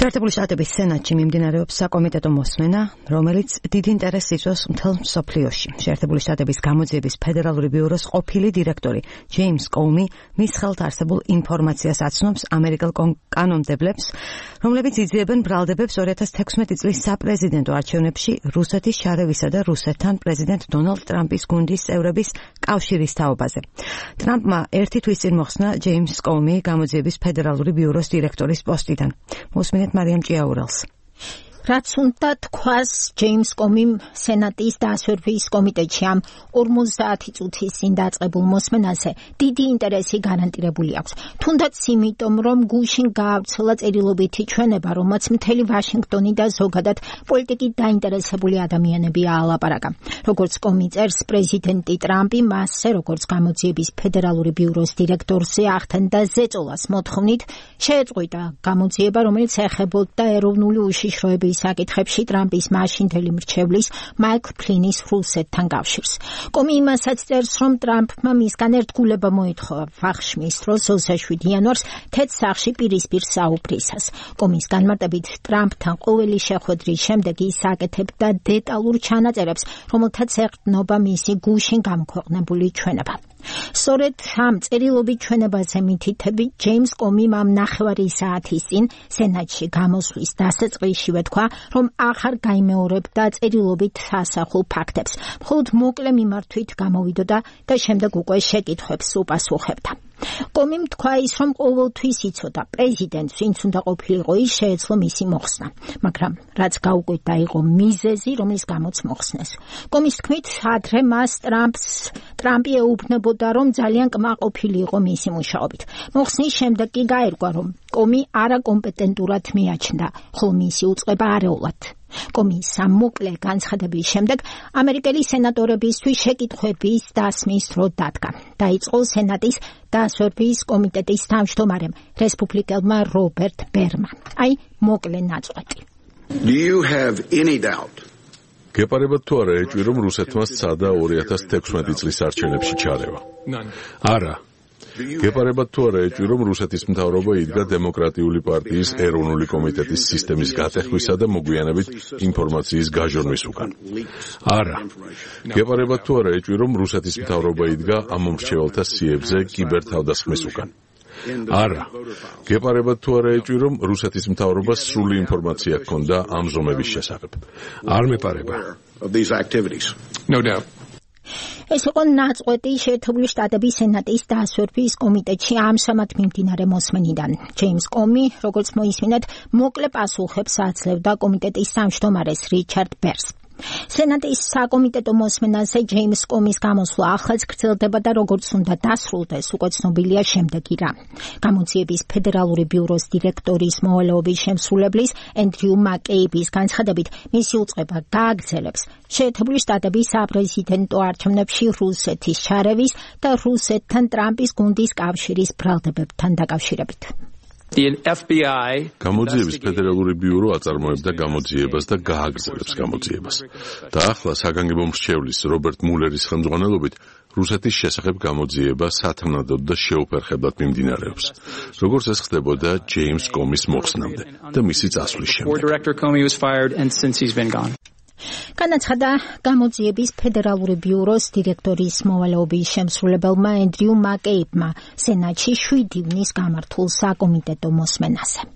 შეერთებული შტატების სენატში მიმდინარეობს საკომიტეტო მოსმენა, რომელიც დიდ ინტერესს იწვევს მთელ მსოფლიოში. შეერთებული შტატების გამოძიების ფედერალური ბიუროს ყოფილი დირექტორი ჯეიმს კოუმი მის ხელთ არსებულ ინფორმაციას აცნობს ამერიკელ კანონმდებლებს, რომლებიც იძიებენ ბრალდებებს 2016 წლის საპრეზიდენტო არჩევნებში რუსეთის შარევისა და რუსეთთან პრეზიდენტ დონალდ ტრამპის გუნდის წევრების კავშირის თაობაზე. ტრამპმა ერთი თვის წინ მოხსნა ჯეიმს კოუმი გამოძიების ფედერალური ბიუროს დირექტორის პოსტიდან. მოსმინეთ მარიამ ჭიაურელს. რაც უნდა თქვას ჯეიმს კომიმ სენატის დასვერვის კომიტეტში ამ 50 წუთის წინ დაწყებულ მოსმენაზე დიდი ინტერესი გარანტირებული აქვს. თუნდაც იმიტომ, რომ გუშინ გაავრცელა წერილობითი ჩვენება, რომელმაც მთელი ვაშინგტონი და ზოგადად პოლიტიკით დაინტერესებული ადამიანები აალაპარაკა. როგორც კომი წერს, პრეზიდენტი ტრამპი მასზე, როგორც გამოძიების ფედერალური ბიუროს დირექტორზე ახდენდა ზეწოლას მოთხოვნით შეეწყვიტა გამოძიება, რომელიც ეხებოდა ეროვნული უშიშროების საკითხებში ტრამპის მაშინდელი მრჩევლის მაიკლ ფლინის რუსეთთან კავშირს. კომი იმასაც წერს, რომ ტრამპმა მისგან ერთგულება მოითხოვა ვახშმის დროს 27 იანვარს თეთრ სახლში პირისპირ საუბრისას. კომის განმარტებით ტრამპთან ყოველი შეხვედრის შემდეგ ის აკეთებდა დეტალურ ჩანაწერებს, რომელთაც ეყრდნობა მისი გუშინ გამოქვეყნებული ჩვენება. სწორედ ამ წერილობით ჩვენებაზე მითითებით ჯეიმს კომიმ ამ ნახევარი საათის წინ სენატში გამოსვლის დასაწყისშივე თქვა, რომ აღარ გაიმეორებდა წერილობით ასახულ ფაქტებს, მხოლოდ მოკლე მიმართვით გამოვიდოდა და შემდეგ უკვე შეკითხვებს უპასუხებდა. კომიმ თქვა ის, რომ ყოველთვის იცოდა პრეზიდენტს, ვინც უნდა ყოფილიყო, ის შეეძლო მისი მოხსნა, მაგრამ რაც გაუკვირდა იყო მიზეზი, რომლის გამოც მოხსნეს. კომის თქმით, ადრე მას ტრამპი ეუბნებოდა, რომ ძალიან კმაყოფილი იყო მისი მუშაობით. მოხსნის შემდეგ კი გაირკვა, რომ კომი არაკომპეტენტურად მიაჩნდა, ხოლო მისი უწყება არეულად. კომის ამ მოკლე განცხადების შემდეგ ამერიკელი სენატორებისთვის შეკითხვების დასმის დრო დადგა. დაიწყო სენატის დასვერვის კომიტეტის თავმჯდომარემ, რესპუბლიკელმა რობერტ ბერმა. აი, მოკლე ნაწყვეტი. Do you have any doubt? გეპარებათ თუ არა ეჭვი, რომ რუსეთმა სცადა 2016 წლის არჩევნებში ჩარევა? არა. გეპარებათ თუ არა ეჭვი, რომ რუსეთის მთავრობა იდგა დემოკრატიული პარტიის ეროვნული კომიტეტის სისტემის გატეხვისა და მოგვიანებით ინფორმაციის გაჟონვის უკან? არა. გეპარებათ თუ არა ეჭვი, რომ რუსეთის მთავრობა იდგა ამომრჩეველთა სიებზე კიბერთავდასხმის უკან? არა. გეპარებათ თუ არა ეჭვი, რომ რუსეთის მთავრობას სრული ინფორმაცია ჰქონდა ამ ზომების შესახებ? არ მეპარება. No doubt. ეს იყო ნაწყვეტი შეერთებული შტატების სენატის დასვერვის კომიტეტში ამჟამად მიმდინარე მოსმენიდან. ჯეიმს კომი, როგორც მოისმინეთ, მოკლე პასუხებს აძლევდა კომიტეტის თავმჯდომარეს რიჩარდ ბერს. სენატის საკომიტეტო მოსმენაზე ჯეიმს კომის გამოსვლა ახლაც გრძელდება და როგორც უნდა დასრულდეს, უკვე ცნობილია შემდეგი რამ. გამოძიების ფედერალური ბიუროს დირექტორის მოვალეობის შემსრულებლის ენდრიუ მაკეიბის განცხადებით, მისი უწყება გააგრძელებს შეერთებული შტატების საპრეზიდენტო არჩევნებში რუსეთის შარევის და რუსეთთან ტრამპის გუნდის კავშირის ბრალდებებთან დაკავშირებით. გამოძიების ფედერალური ბიურო აწარმოებდა გამოძიებას და გააგრძელებს გამოძიებას. და ახლა საგანგებო მრჩევლის რობერტ მულერის ხელმძღვანელობით რუსეთის შესახებ გამოძიება სათანადოდ და შეუფერხებლად მიმდინარეობს, როგორც ეს ხდებოდა ჯეიმს კომის მოხსნამდე და მისი წასვლის შემდეგ. განაცხადა გამოძიების ფედერალური ბიუროს დირექტორის მოვალეობის შემსრულებელმა ენდრიუ მაკეიბმა სენატში 7 ივნის გამართულ საკომიტეტო მოსმენაზე.